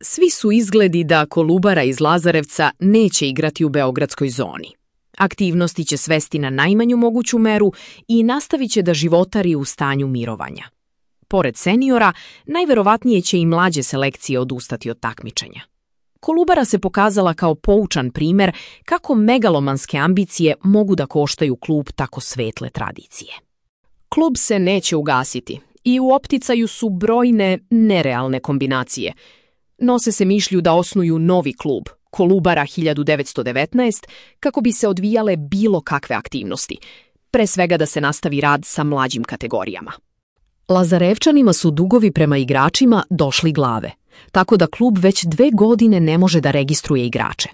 Svi su izgledi da Kolubara iz Lazarevca neće igrati u beogradskoj zoni. Aktivnosti će svesti na najmanju moguću meru i nastavit će da životari u stanju mirovanja. Pored seniora, najverovatnije će i mlađe selekcije odustati od takmičenja. Kolubara se pokazala kao poučan primer kako megalomanske ambicije mogu da koštaju klub tako svetle tradicije. Klub se neće ugasiti i u opticaju su brojne nerealne kombinacije. Nose se mišlju da osnuju novi klub, Kolubara 1919, kako bi se odvijale bilo kakve aktivnosti, pre svega da se nastavi rad sa mlađim kategorijama. Lazarevčanima su dugovi prema igračima došli glave, tako da klub već 2 godine ne može da registruje igrače.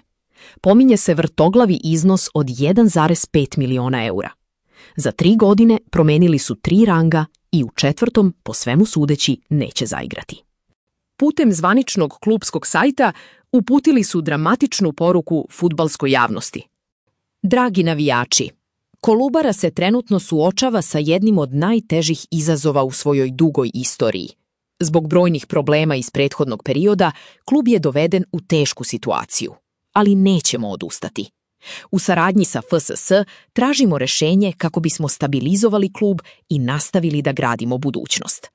Pominje se vrtoglavi iznos od 1,5 miliona eura. Za 3 godine promenili su 3 ranga i u 4. po svemu sudeći neće zaigrati. Putem zvaničnog klubskog sajta uputili su dramatičnu poruku fudbalskoj javnosti. Dragi navijači, Kolubara se trenutno suočava sa jednim od najtežih izazova u svojoj dugoj istoriji. Zbog brojnih problema iz prethodnog perioda, klub je doveden u tešku situaciju, ali nećemo odustati. U saradnji sa FSS tražimo rešenje kako bismo stabilizovali klub i nastavili da gradimo budućnost.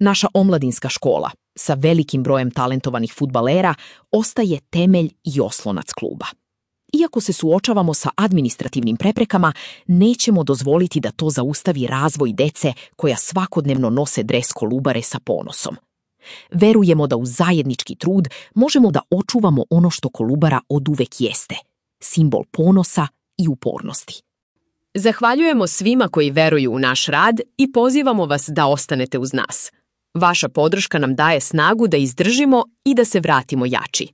Naša omladinska škola, sa velikim brojem talentovanih fudbalera, ostaje temelj i oslonac kluba. Iako se suočavamo sa administrativnim preprekama, nećemo dozvoliti da to zaustavi razvoj dece koja svakodnevno nose dres Kolubare sa ponosom. Verujemo da uz zajednički trud možemo da očuvamo ono što Kolubara oduvek jeste, simbol ponosa i upornosti. Zahvaljujemo svima koji veruju u naš rad i pozivamo vas da ostanete uz nas. Vaša podrška nam daje snagu da izdržimo i da se vratimo jači.